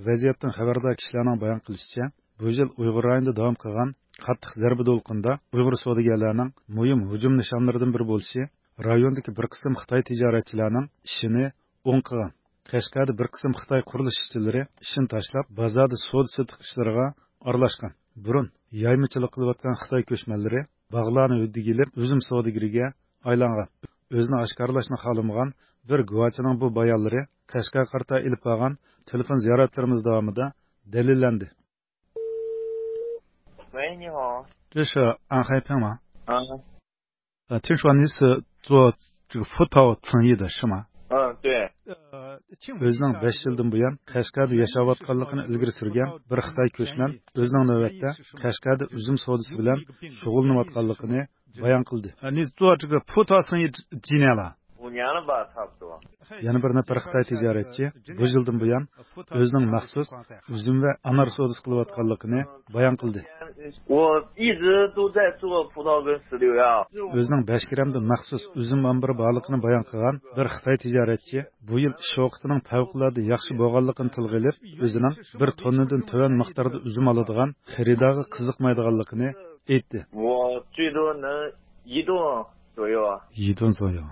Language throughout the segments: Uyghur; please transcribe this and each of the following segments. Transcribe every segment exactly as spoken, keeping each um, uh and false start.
ۋەزىيەتتىن خەۋەردار كىشىلەرنىڭ بايان قىلىشىچە، بۇ يىل ئۇيغۇر رايونىدا داۋام قىلغان قاتتىق زەربە دولقۇنىدا ئۇيغۇر سودىگەرلەرنىڭ مۇھىم ھۇجۇم نىشانلىرىدىن بىرى بولۇشى رايوندىكى بىر قىسىم خىتاي تىجارەتچىلەرنىڭ ئىشىنى ئوڭ قىلغان. قەشقەردە بىر قىسىم خىتاي قۇرۇلۇش ئىشچىلىرى ئىشىنى تاشلاپ، بازاردا سودا-سېتىق ئىشلىرىغا ئارىلاشقان. بۇرۇن يايمىچىلىق قىلىۋاتقان خىتاي كۆچمەنلىرى باغلارنى ھۆددىگە ئېلىپ، ئۈزۈم سودىگىرىگە ئايلانغان. ئۆزىنى ئاشكارىلاشنى خالىمىغان بىر گۇۋاھچىنىڭ بۇ بايانلىرى قەشقەرگە قارىتا ئېلىپ بارغان تېلېفون زىيارەتلىرىمىز داۋامىدا دەلىللەندى. 喂，你好。这是安海平吗？啊。呃，听说你是做这个葡萄生意的是吗？嗯，对。 ئۆزىنىڭ بەش يىلدىن بۇيان قەشقەردە ياشاۋاتقانلىقىنى ئىلگىرى سۈرگەن بىر خىتاي كۆچمەن ئۆزىنىڭ نۆۋەتتە قەشقەردە ئۈزۈم سودىسى بىلەن شۇغۇللىنىۋاتقانلىقىنى بايان قىلدى. 你做这个葡萄生意几年了？ 五年了吧，差不多。 يەنە بىر نەپەر خىتاي تىجارەتچى بۇ يىلدىن بۇيان ئۆزىنىڭ مەخسۇس ئۈزۈم ۋە ئانار سودىسى قىلىۋاتقانلىقىنى بايان قىلدى. 我一直都在做葡萄跟石榴呀。 ئۆزىنىڭ بەشكىرەمدە مەخسۇس ئۈزۈم ئامبىرى بارلىقىنى بايان قىلغان بىر خىتاي تىجارەتچى بۇ يىل ئىش ۋاقتىنىڭ پەۋقۇلئاددە ياخشى بولغانلىقىنى تىلغا ئېلىپ، ئۆزىنىڭ بىر توننىدىن تۆۋەن مىقداردا ئۈزۈم ئالىدىغان خېرىدارغا قىزىقمايدىغانلىقىنى ئېيتتى. 我最多能一顿左右。 一顿左右。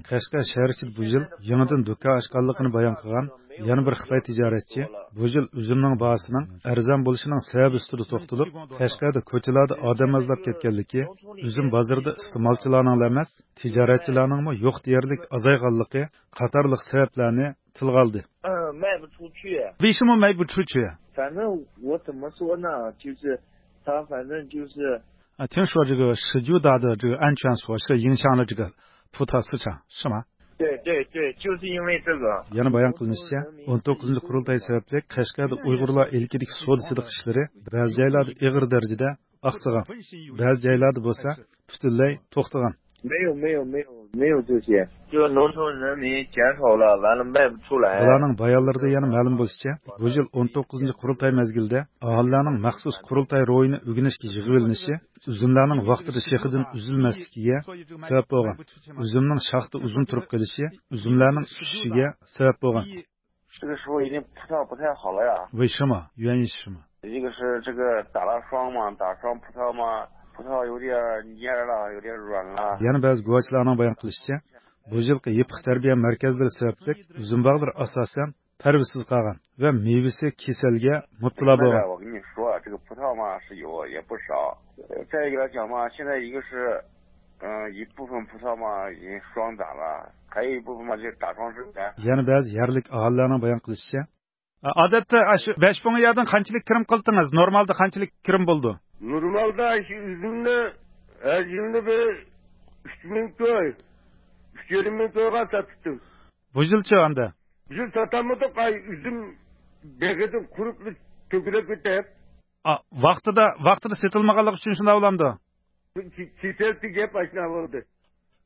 قەشقەر شەھەر ئىچىدە بۇ يىل يېڭىدىن دۇكان ئاچقانلىقىنى بايان قىلغان يەنە بىر خىتاي تىجارەتچى بۇ يىل ئۈزۈمنىڭ باھاسىنىڭ ئەرزان بولۇشىنىڭ سەۋەبى ئۈستىدە توختىلىپ، قەشقەردە كوچىلاردا ئادەم ئازلاپ كەتكەنلىكى، ئۈزۈم بازىرىدا ئىستېمالچىلارنىڭلا ئەمەس، تىجارەتچىلەرنىڭمۇ يوق دېيەرلىك ئازايغانلىقى قاتارلىق سەۋەبلەرنى تىلغا ئالدى. 嗯，卖不出去。 为什么卖不出去？ 反正我怎么说呢，就是他反正就是 啊，听说这个十九大的这个安全措施影响了这个葡萄市场，是吗？ 对对对，就是因为这个。 يەنە بايان قىلىنىشىچە، ئون توققۇزىنچى قۇرۇلتاي سەۋەبلىك قەشقەردە ئۇيغۇرلار ئىلكىدىكى سودا سېتىق ئىشلىرى بەزى جايلاردا ئېغىر دەرىجىدە ئاقسىغان، بەزى جايلاردا بولسا پۈتۈنلەي توختىغان. 没有没有没有没有这些。 就农村人民减少了，完了卖不出来。 بۇلارنىڭ بايانلىرىدا يەنە مەلۇم بولۇشىچە، بۇ يىل ئون توققۇزىنچى قۇرۇلتاي مەزگىلىدە ئاھالىلەرنىڭ مەخسۇس قۇرۇلتاي روھىنى ئۆگىنىشكە يىغىۋېلىنىشى ئۈزۈملەرنىڭ ۋاقتىدا شېخىدىن ئۈزۈلمەسلىكىگە سەۋەب بولغان. ئۈزۈمنىڭ شاختا ئۇزۇن تۇرۇپ قېلىشى ئۈزۈملەرنىڭ چۈشۈشىگە سەۋەب بولغان. 这个时候已经葡萄不太好了呀。 为什么？原因是什么？ 一个是这个打了霜嘛，打霜葡萄嘛，葡萄有点蔫儿了，有点软了。 يەنە بەزى گۇۋاھچىلارنىڭ بايان قىلىشىچە، بۇ يىلقى يېپىق تەربىيە مەركەزلىرى سەۋەبلىك ئۈزۈم باغلىرى ئاساسەن پەرۋىسىز قالغان ۋە مېۋىسى كېسەلگە مۇپتىلا بولغان. 我跟你说，这个葡萄嘛是有也不少，呃，再一个来讲嘛，现在一个是，嗯，一部分葡萄嘛已经霜打了，还有一部分嘛就打霜之前。 يەنە بەزى يەرلىك ئاھالىلەرنىڭ بايان قىلىشىچە، ئادەتتە ئاشۇ بەش مىڭ يەردىن قانچىلىك كىرىم قىلدىڭىز؟ نورمالدا قانچىلىك كىرىم بولىدۇ؟ نورمالدا شۇ ئۈزۈمنى ھەر يىلى بىر ئۈچ مىڭ كوي، ئۈچ يېرىم مىڭ كويغا ساتتىم. بۇ يىلچۇ ئەمدى؟ بۇ يىل ساتالمىدۇق، ئاي، ئۈزۈم بېغىدىن قۇرۇپ تۆكۈلۈپ كېتىپ. ئا، ۋاقتىدا، ۋاقتىدا سېتىلمىغانلىقى ئۈچۈن شۇنداق بولامدۇ؟ كېسەلتى گەپ ئاشۇنداق بولدى.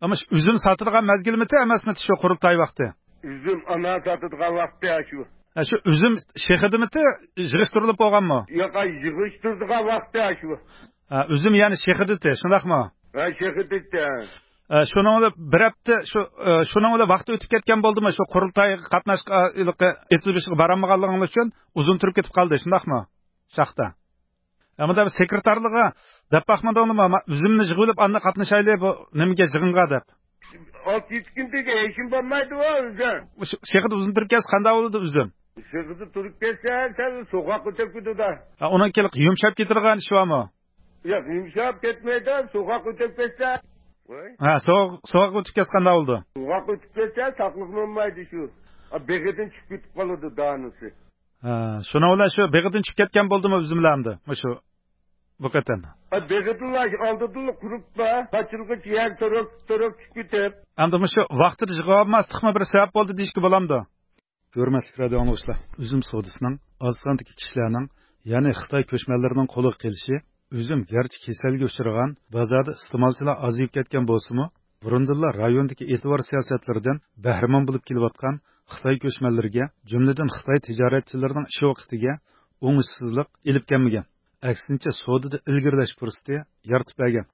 ئەمما شۇ ئۈزۈم ساتىدىغان مەزگىلمىتى ئەمەسمىتى شۇ قۇرۇلتاي ۋاقتى؟ ئۈزۈم ئانا ساتىدىغان ۋاقتى شۇ. ھە، شۇ ئۈزۈم شېخىدىمىتى يىغىشتۇرۇلۇپ بولغانمۇ؟ ياق، يىغىشتۇرىدىغان ۋاقتى شۇ. ھە، ئۈزۈم يەنى شېخىدىتى، شۇنداقمۇ؟ ھە، شېخىدىتى. ھە، شۇنىڭ بىلەن بىر ھەپتە، شۇ، ئە، شۇنىڭ بىلەن ۋاقتى ئۆتۈپ كەتكەن بولدىمۇ؟ شۇ قۇرۇلتايغا قاتناش، ئېچىلىش بارالمىغانلىقىڭلار ئۈچۈن ئۇزۇن تۇرۇپ كېتىپ قالدى، شۇنداقمۇ؟ شاختا. ئەمما دەپ سېكرېتارلىققا دەپ باقمىدىڭلىمۇ؟ ما-، ئۈزۈمنى يىغىۋېلىپ، ئاندىن قاتنىشايلى بۇ نېمىگە، يىغىنغا دەپ. ئالتە يۈز كۈندىكى ھېچكىم بارمايدۇ ئۆزى. شۇ شېخىدا ئۇزۇن تۇرۇپ كەتسە قانداق بولىدۇ ئۈزۈم؟ شېخىدا تۇرۇپ كەتسە، سەل سوغۇققا ئۆتۈپ كېتىدۇ. ھە، ئۇنىڭ كېلىپ يۇمشاپ كېتىدىغان ئىشى بارمۇ؟ ياق، يۇمشاپ كەتمەيدۇ، سوغۇققا ئۆتۈپ كەتسە. ھە، سوغۇق، سوغۇققا ئۆتۈپ كەتسە قانداق بولىدۇ؟ سوغۇققا ئۆتۈپ كەتسە، ساقلىقى بولمايدۇ شۇ. بېغىدىن چۈشۈپ كېتىپ قالىدۇ دانىسى. ھە، شۇنىڭ بىلەن شۇ بېغىدىن چۈشۈپ كەتكەن بولدىمۇ ئۈزۈملەر ئەمدى؟ مۇشۇ بۇ قېتىم. بېغىدىنلا ئالدىدىنلا قۇرۇپلا، قاچىلىغۇچە يەر تۇرۇپ، تۇرۇپ چۈشۈپ كېتىپ. ئەمدى مۇشۇ ۋاقتىدا يىغىۋالماسلىقمۇ بىر سەۋەب بولدى دېيىشكە بولامدۇ؟ ھۆرمەتلىك رادىئو ئاڭلىغۇچىلار، ئۈزۈم سودىسىنىڭ ئاز ساندىكى كىشىلەرنىڭ، يەنى خىتاي كۆچمەنلىرىنىڭ قولىغا قېلىشى، ئۈزۈم گەرچە كېسەلگە ئۇچرىغان، بازاردا ئىستېمالچىلار ئازىيىپ كەتكەن بولسىمۇ، بۇرۇندىنلا رايوندىكى ئېتىبار سىياسەتلىرىدىن بەھرىمەن بولۇپ كېلىۋاتقان خىتاي كۆچمەنلىرىگە، جۈملىدىن خىتاي تىجارەتچىلىرىنىڭ ئىش ۋاقتىگە ئوڭۇشسىزلىق ئېلىپ كەلمىگەن، ئەكسىنچە، سودىدا ئىلگىرىلەش پۇرسىتى يارىتىپ بەرگەن.